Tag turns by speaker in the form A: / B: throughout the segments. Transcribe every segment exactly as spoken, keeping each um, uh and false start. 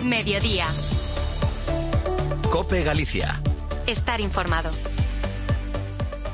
A: Mediodía.
B: COPE Galicia.
A: Estar informado.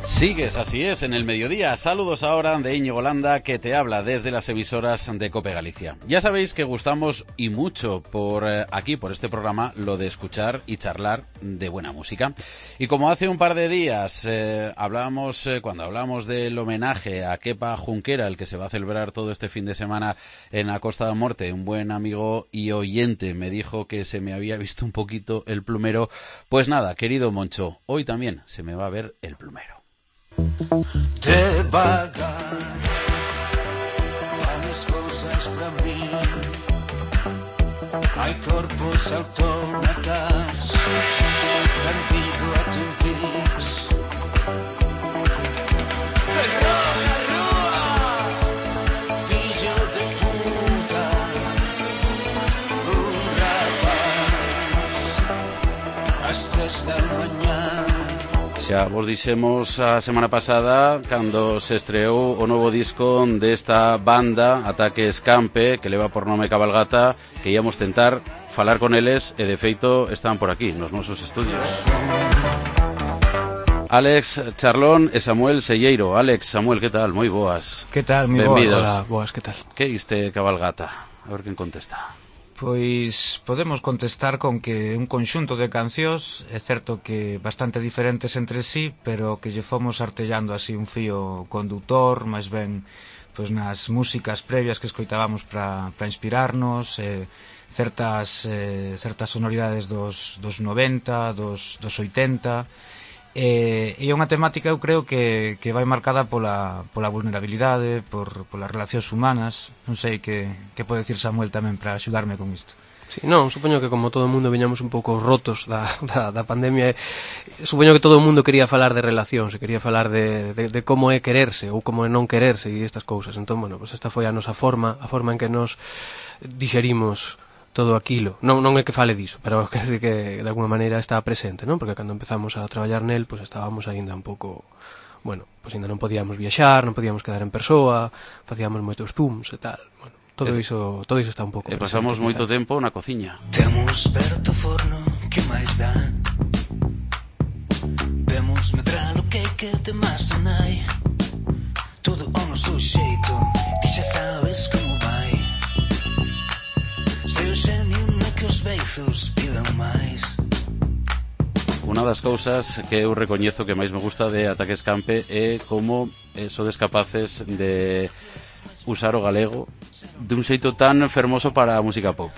C: Sigues, así es, en el mediodía. Saludos ahora de Íñigo Landa, que te habla desde las emisoras de COPE Galicia. Ya sabéis que gustamos y mucho por eh, aquí, por este programa, lo de escuchar y charlar de buena música. Y como hace un par de días eh, hablábamos, eh, cuando hablamos del homenaje a Kepa Junquera, el que se va a celebrar todo este fin de semana en la Costa da Morte, un buen amigo y oyente me dijo que se me había visto un poquito el plumero. Pues nada, querido Moncho, hoy también se me va a ver el plumero.
D: Devagar van as cousas pra mí. Hai corpos autómatas perdido a Twin Peaks. Perrón na rúa, fillo de puta, un rapaz ás tres da mañá.
C: Xa vos dixemos a semana pasada cando se estreou o novo disco desta banda Ataque Escampe, que leva por nome Cabalgata, que íamos tentar falar con eles e de feito están por aquí nos nosos estudios. Alex Charlón e Samuel Selleiro. Alex, Samuel, que tal? Moi boas.
E: Que tal? Moi boas. Hola, boas, que tal?
C: Que iste Cabalgata? A ver quen contesta.
E: Pois podemos contestar con que un conxunto de cancións, é certo que bastante diferentes entre sí, pero que lle fomos artellando así un fío condutor, máis ben pois nas músicas previas que escoitábamos para para inspirarnos, eh, certas eh, certas sonoridades dos dos noventa, dos dos oitenta. E é unha temática, eu creo que, que vai marcada pola, pola vulnerabilidade, por, polas relacións humanas. Non sei que, que pode decir Samuel tamén para axudarme con isto.
F: Sí, non, supoño que como todo o mundo viñamos un pouco rotos da, da, da pandemia, supoño que todo o mundo quería falar de relacións, quería falar de, de, de como é quererse ou como é non quererse e estas cousas. Entón, bueno, pues esta foi a nosa forma, a forma en que nos dixerimos todo aquilo. Non, non é que fale diso, pero quer dizer que de alguma maneira está presente, non? Porque cando empezamos a traballar nel, pois pues estábamos aínda un pouco, bueno, pois pues ainda non podíamos viaxar, non podíamos quedar en persoa, facíamos moitos zooms e tal. Bueno, todo iso, todo iso está un pouco
C: presente. E pasamos
F: presente,
C: moito
F: quizás.
C: tempo na cociña.
D: Temos perto forno, que máis dá? Vemos medrar o que que de masa nai. Todo o noso xeito, ti xa sabes como vai. Sei o xenio no que os beizos pidan máis.
C: Unha das cousas que eu recoñezo que máis me gusta de Ataque Escampe é como eh, sodes capaces de usar o galego de un xeito tan fermoso para a música pop.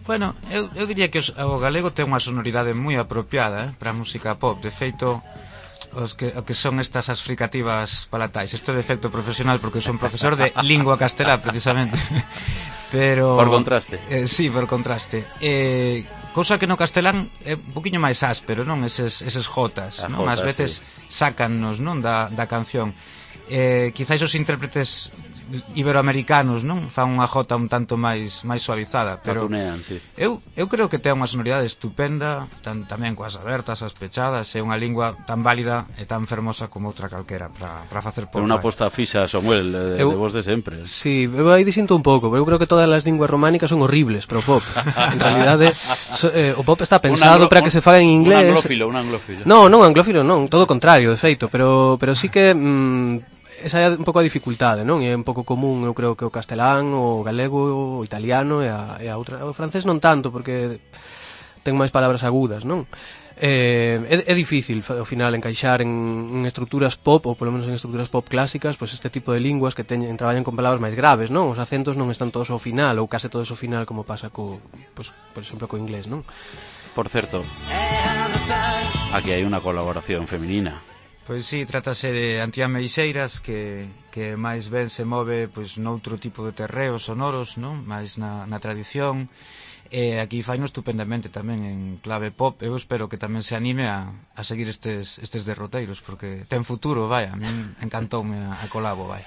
E: Bueno, eu, eu diría que os, o galego ten unha sonoridade moi apropiada, eh, para a música pop. De feito, os que, o que son estas as fricativas palatais. Isto é de efecto profesional porque son profesor de lingua castelá, precisamente. Pero
C: por contraste.
E: Eh, sí, por contraste. Eh, cousa que no castelán é un poquinho máis áspero, non? Eses, eses jotas, non? Ás veces sí. Sácannos, non? Da, da canción. Eh, quizáis os intérpretes iberoamericanos, non? Fan unha jota un tanto máis máis suavizada, pero
C: Patunean, sí.
E: eu, eu creo que ten unha sonoridade estupenda, tan, tamén coas abertas, as pechadas, é unha lingua tan válida e tan fermosa como outra calquera para para facer pop.
C: É unha aposta fixa, Samuel, de, eu, de vos de sempre.
F: Sí, eu aí disinto un pouco, pero eu creo que todas as linguas románicas son horribles para o pop. En realidade, so, eh, o pop está pensado anglo, para que se faga en inglés.
C: Un anglófilo, un anglófilo.
F: Non, non, anglófilo non, todo o contrario, de feito, pero pero sí que mm, esa é un pouco a dificultade, non? E é un pouco común, eu creo que o castelán, o galego, o italiano e a, e a outra, o francés non tanto porque ten máis palabras agudas, non? Eh, é, é difícil ao final encaixar en, en estruturas pop, ou polo menos en estruturas pop clásicas, pois este tipo de linguas que teñen, traballan con palabras máis graves, non? Os acentos non están todos ao final, ou case todos ao final, como pasa co, pois, por exemplo, co inglés, non?
C: Por certo, aquí hai unha colaboración feminina.
E: Pois sí, trátase de Antía Meixeiras, que, que máis ben se move pois noutro tipo de terreos sonoros, non? Máis na, na tradición. E aquí faino estupendamente tamén en clave pop. Eu espero que tamén se anime a, a seguir estes, estes derroteiros, porque ten futuro, vai, a min encantoume a, a colabo, vai.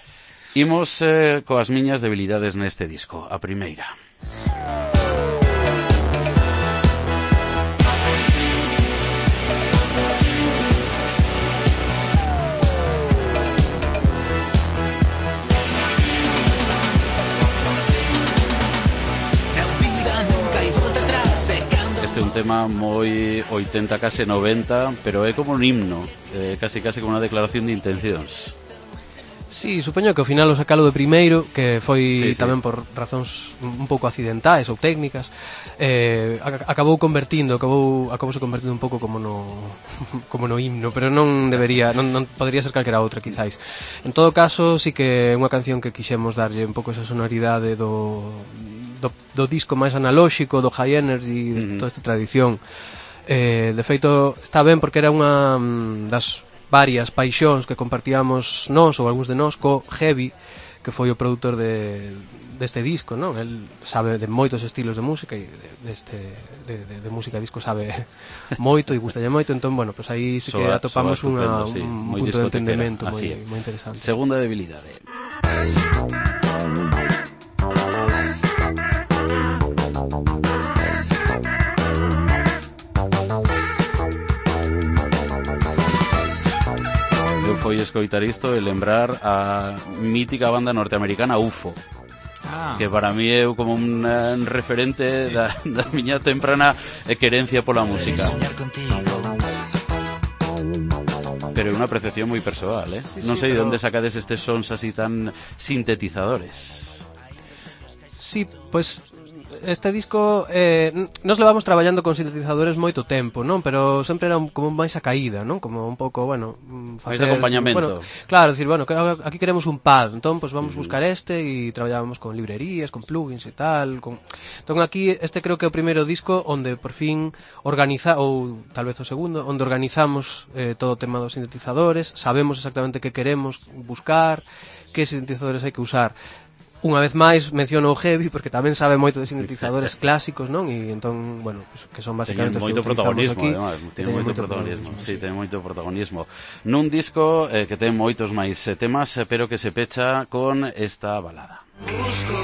C: Imos eh, coas miñas debilidades neste disco. A primeira. Este é un tema moi oitenta, case noventa, pero é como un himno, eh, casi casi como unha declaración de intencións.
F: Sí, supoño que ao final o sacalo de primeiro, que foi
C: sí, sí.
F: tamén por razóns un pouco accidentais ou técnicas, eh, acabou convertindo, acabou acabouse convertindo un pouco como no como no himno, pero non debería, non, non podría ser calquera outra quizáis. En todo caso, sí que é unha canción que quixemos darlle un pouco esa sonoridade do do, do disco máis analóxico, do high energy, de
C: Uh-huh.
F: toda esta tradición. Eh, de feito, está ben porque era unha das varias paixóns que compartíamos nós ou algúns de nós co Heavy, que foi o produtor de, deste disco, non? El sabe de moitos estilos de música e deste de, de, de música disco sabe moito e gustalle moito, entón, bueno, pues aí sí que
C: Soa,
F: atopamos
C: soa
F: unha,
C: sí,
F: un punto de entendemento moi,
C: é.
F: moi interesante.
C: Segunda debilidade. Foi escoitar isto e lembrar a mítica banda norteamericana U F O,
E: Ah.
C: que para mí é como un uh, referente da, da miña temprana querencia pola música. Pero é unha apreciación moi persoal, eh?
F: Sí,
C: Non
F: sí,
C: sei de
F: pero...
C: onde sacades estes sons así tan sintetizadores.
F: Sí, pues este disco eh, nos levamos traballando con sintetizadores moito tempo, non? Pero sempre era un, como máis a caída, non? Como un pouco, bueno,
C: máis de acompañamento.
F: Bueno, claro, decir, bueno, aquí queremos un pad, entón pues vamos a buscar este e traballábamos con librerías, con plugins e tal, con... Entón aquí este creo que é o primeiro disco onde por fin organiza, ou tal vez o segundo, onde organizamos eh, todo o tema dos sintetizadores, sabemos exactamente que queremos buscar, que sintetizadores hai que usar. Unha vez máis menciono o Heavy porque tamén sabe moito de sintetizadores clásicos, non? E entón, bueno, pues, que son basicamente
C: teñen moito protagonismo, además, teñen moito protagonismo. Sí, teñen moito protagonismo. Nun disco eh, que ten moitos máis eh, temas, eh, pero que se pecha con esta balada.
D: Busco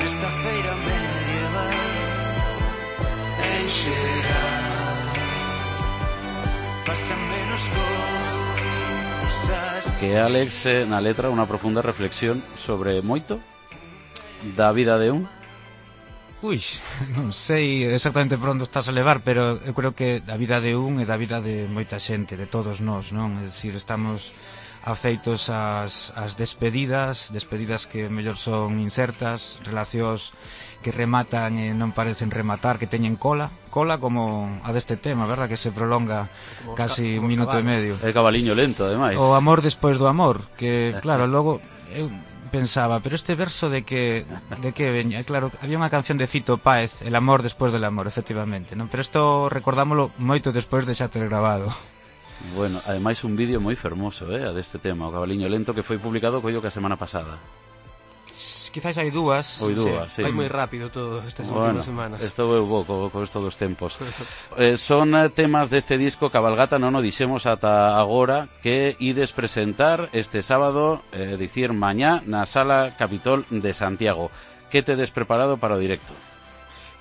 D: esta feira medieval enxerá pasa menos cosas.
C: Que Alex eh, na letra unha profunda reflexión sobre moito da vida de un.
E: Ui, non sei exactamente por onde estás a levar, pero eu creo que a vida de un é da vida de moita xente, de todos nós, non? É dicir, estamos afeitos ás, ás despedidas, despedidas que mellor son incertas, relacións que rematan e non parecen rematar, que teñen cola, cola como a deste tema, verdad? Que se prolonga como casi un minuto e medio.
C: É cabaliño lento, ademais.
E: O amor despois do amor, que claro, logo eu pensaba, pero este verso de que de que veña, claro, había unha canción de Fito Páez, El amor despois del amor, efectivamente, non? Pero isto recordámolo moito despois de xa ter grabado.
C: Bueno, ademais un vídeo moi fermoso, eh, a deste tema, o cabaliño lento, que foi publicado coido que a semana pasada.
E: Quizás hai dúas.
C: Ou dúas, sí.
F: Vai moi rápido todo estas
C: bueno,
F: últimas semanas.
C: Estou eu bo co, co estos dos tempos. eh, Son temas deste disco Cabalgata, non o dixemos ata agora, que ides presentar este sábado, eh, dicir mañá, na Sala Capitol de Santiago. Que tedes preparado para o directo?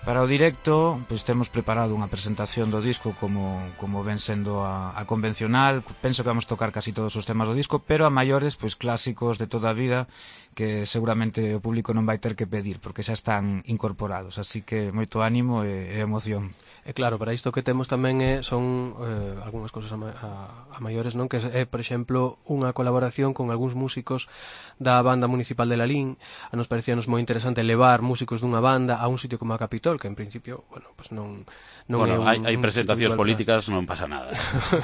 E: Para o directo, pois temos preparado unha presentación do disco como, como ven sendo a, a convencional. Penso que vamos tocar casi todos os temas do disco, pero a maiores, pois clásicos de toda a vida, que seguramente o público non vai ter que pedir, porque xa están incorporados. Así que moito ánimo e, e emoción.
F: E claro, para isto que temos tamén é, son eh, algunhas cousas a, a, a maiores, non? Que é, por exemplo, unha colaboración con algúns músicos da banda municipal de Lalín. A nos parecíanos moi interesante levar músicos dunha banda a un sitio como a Capitol, que en principio, bueno, pues non, non
C: bueno,
F: é un,
C: hai, hai presentacións
F: un
C: políticas, non pasa nada.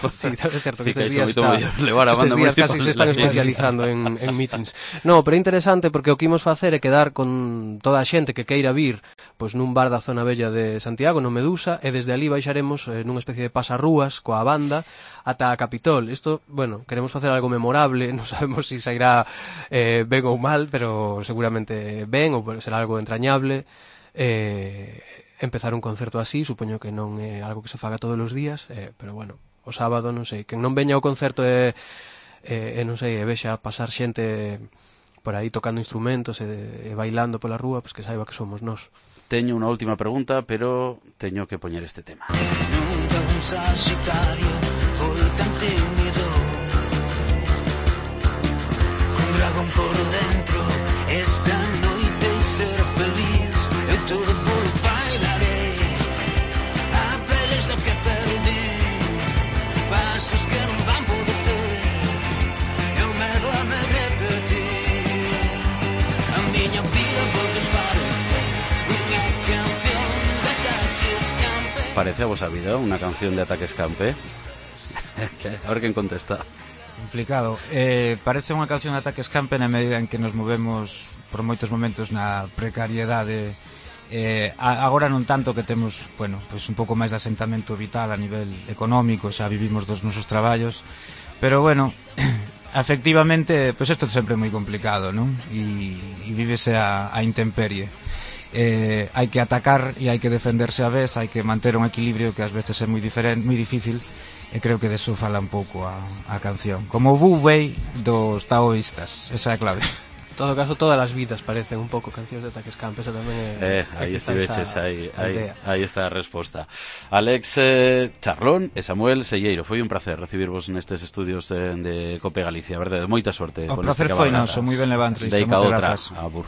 F: Sí, é certo que
C: Fica
F: estes días,
C: está, levar a banda
F: días
C: municipal
F: casi se están especializando en, en meetings. No, pero é interesante porque o que imos facer é quedar con toda a xente que queira vir pois nun bar da zona bella de Santiago, no Medusa, e desde ali baixaremos eh, nunha especie de pasarrúas coa banda ata a Capitol. Isto, bueno, queremos facer algo memorable, non sabemos se si sairá eh, ben ou mal, pero seguramente ben, ou será algo entrañable. Eh, empezar un concerto así, supoño que non é algo que se faga todos os días, eh, pero bueno, o sábado, non sei, que non veña ao concerto e, e, e non sei, e vexa pasar xente por aí tocando instrumentos e, e bailando pola rúa, pois que saiba que somos nós.
C: Teño unha última pregunta, pero teño que poñer este tema.
D: Nunca un Sagitario foi tan tímido, con dragón por dentro, esta noite ser feliz, eu todo polo pan.
C: parece a vos habido una canción de Ataque Escampe? A ver quen contesta.
E: Complicado. Eh, parece unha canción de Ataque Escampe na medida en que nos movemos por moitos momentos na precariedade. Eh, agora non tanto que temos, bueno, pois un pouco máis de asentamento vital a nivel económico, xa vivimos dos nosos traballos, pero bueno, efectivamente, pois isto é sempre moi complicado, non? E, e vívese a, a intemperie. Eh, hai que atacar e hai que defenderse a vez, hai que manter un equilibrio que ás veces é moi diferente, moi difícil, e creo que deso fala un pouco a, a canción. Como Wu Wei dos taoístas, esa é a clave.
F: En todo caso, todas as vidas parecen un pouco cancións de Ataque Escampe, esa tamén é...
C: Eh, aí estiveches, aí, aí, aí está a resposta. Alex eh, Charlón e Samuel Selleiro, foi un placer recibirvos nestes estudios de, de Cope Galicia, verdade? Moita sorte.
E: O placer foi noso, moi ben leva a entrevista.
C: Deica outra, abur.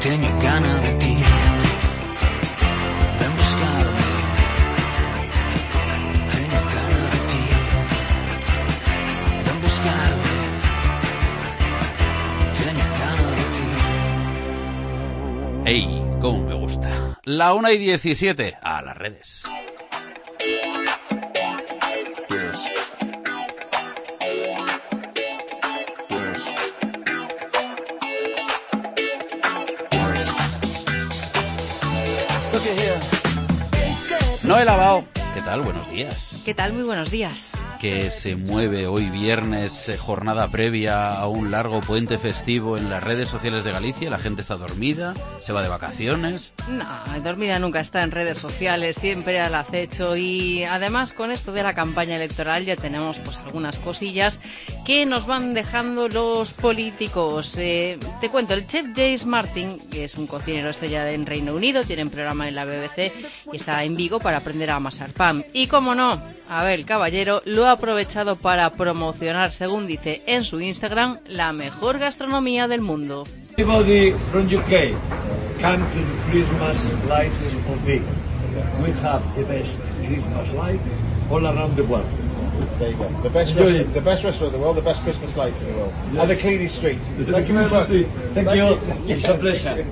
D: Teño gana de ti, ven buscarme. Teño gana de ti, ven buscarme. Teño gana de ti.
C: ¡Ey! ¡Cómo me gusta! La una y diecisiete, a las redes.
D: Yes. Yes. Look at here.
C: Noel Abao, ¿qué tal? Buenos días.
A: ¿Qué tal? Muy buenos días.
C: Que se mueve hoy viernes, eh, jornada previa a un largo puente festivo en las redes sociales de Galicia. La gente está dormida, se va de vacaciones.
A: No, dormida nunca está en redes sociales, siempre al acecho. Y además con esto de la campaña electoral ya tenemos pues algunas cosillas que nos van dejando los políticos. Eh, te cuento, el chef James Martin, que es un cocinero estrella en Reino Unido, tiene un programa en la B B C y está en Vigo para aprender a amasar pan. Y como no, Abel Caballero lo ha aprovechado para promocionar, según dice en su Instagram, la mejor gastronomía del mundo.
B: Everybody from U K, come to the Christmas lights of Vigo. We have the best Christmas lights all around the world.
G: There you go. The best, restaurant, the best restaurant in the world, the best Christmas lights in the world. Yes. And the cleanest street. Thank you very much.
B: Thank, Thank you. you. It's a pleasure.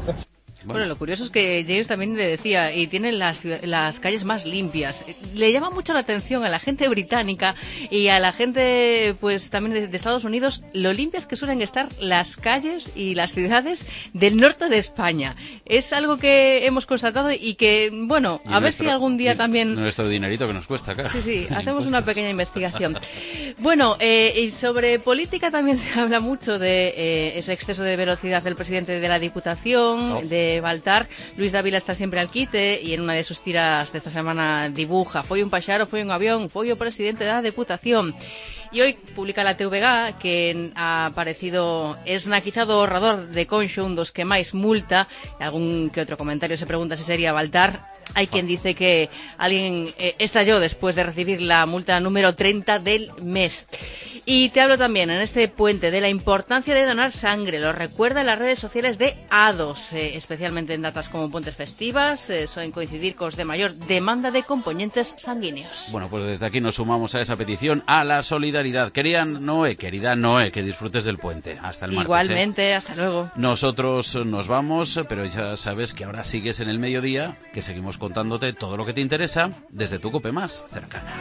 A: Bueno, lo curioso es que James también le decía, y tienen las, las calles más limpias. Le llama mucho la atención a la gente británica y a la gente pues también de, de Estados Unidos lo limpias que suelen estar las calles y las ciudades del norte de España. Es algo que hemos constatado y que, bueno, a ver nuestro, si algún día también...
C: Nuestro dinerito que nos cuesta acá.
A: Sí, sí, hacemos una pequeña investigación. Bueno, eh, y sobre política también se habla mucho de eh, ese exceso de velocidad del presidente de la Diputación, oh. de Baltar. Luis Dávila está siempre al quite y en una de sus tiras de esta semana dibuja: foi un paxaro, foi un avión, foi o presidente da Deputación. Y hoy publica la T V G que ha aparecido esnaquizado o ahorrador de Conxo, un dos que máis multa. Algún que otro comentario se pregunta si sería Baltar. Hay quien dice que alguien eh, estalló después de recibir la multa número treinta del mes. Y te hablo también en este puente de la importancia de donar sangre. Lo recuerda en las redes sociales de A D O S, eh, especialmente en datas como puentes festivas, eh, suelen coincidir con de mayor demanda de componentes sanguíneos.
C: Bueno, pues desde aquí nos sumamos a esa petición, a la solidaridad. Querida Noé, querida Noé, que disfrutes del puente. Hasta el martes.
A: Igualmente,
C: ¿eh?
A: Hasta luego.
C: Nosotros nos vamos, pero ya sabes que ahora sigues en el mediodía, que seguimos contándote todo lo que te interesa desde tu Cope más cercana.